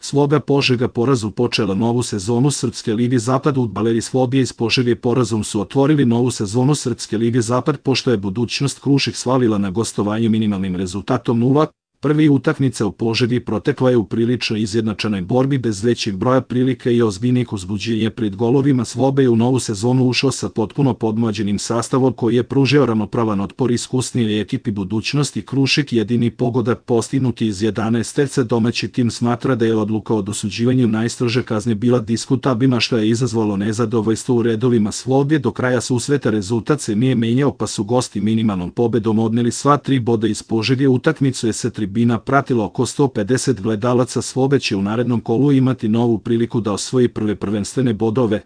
Sloga Požega porazu počela novu sezonu Srpske lige Zapad. Udbaleri Slobije iz Požege porazom su otvorili novu sezonu Srpske lige Zapad, pošto je Budućnost Krušik slavila na gostovanju minimalnim rezultatom 0. Prvi utakmica u Požegi protekla je u prilično izjednačenoj borbi bez većeg broja prilika i ozbiljnih uzbuđenja pred golovima. Slobe je u novu sezonu ušao sa potpuno podmlađenim sastavom koji je pružio ravnopravan otpor iskusnijoj ekipi. Budućnost i Krušik. Jedini pogodak postignuti iz 11 terca. Domaći tim smatra da je odluka o dosuđivanju najstrože kazne bila diskutabilna, što je izazvalo nezadovoljstvo u redovima Slobije. Do kraja susreta rezultat se nije menjao, pa su gosti minimalnom pobedom odneli sva 3 boda iz Požege. Utakmicu je sa tribina pratilo oko 150 gledalaca. Slobe će u narednom kolu imati novu priliku da osvoji prve prvenstvene bodove.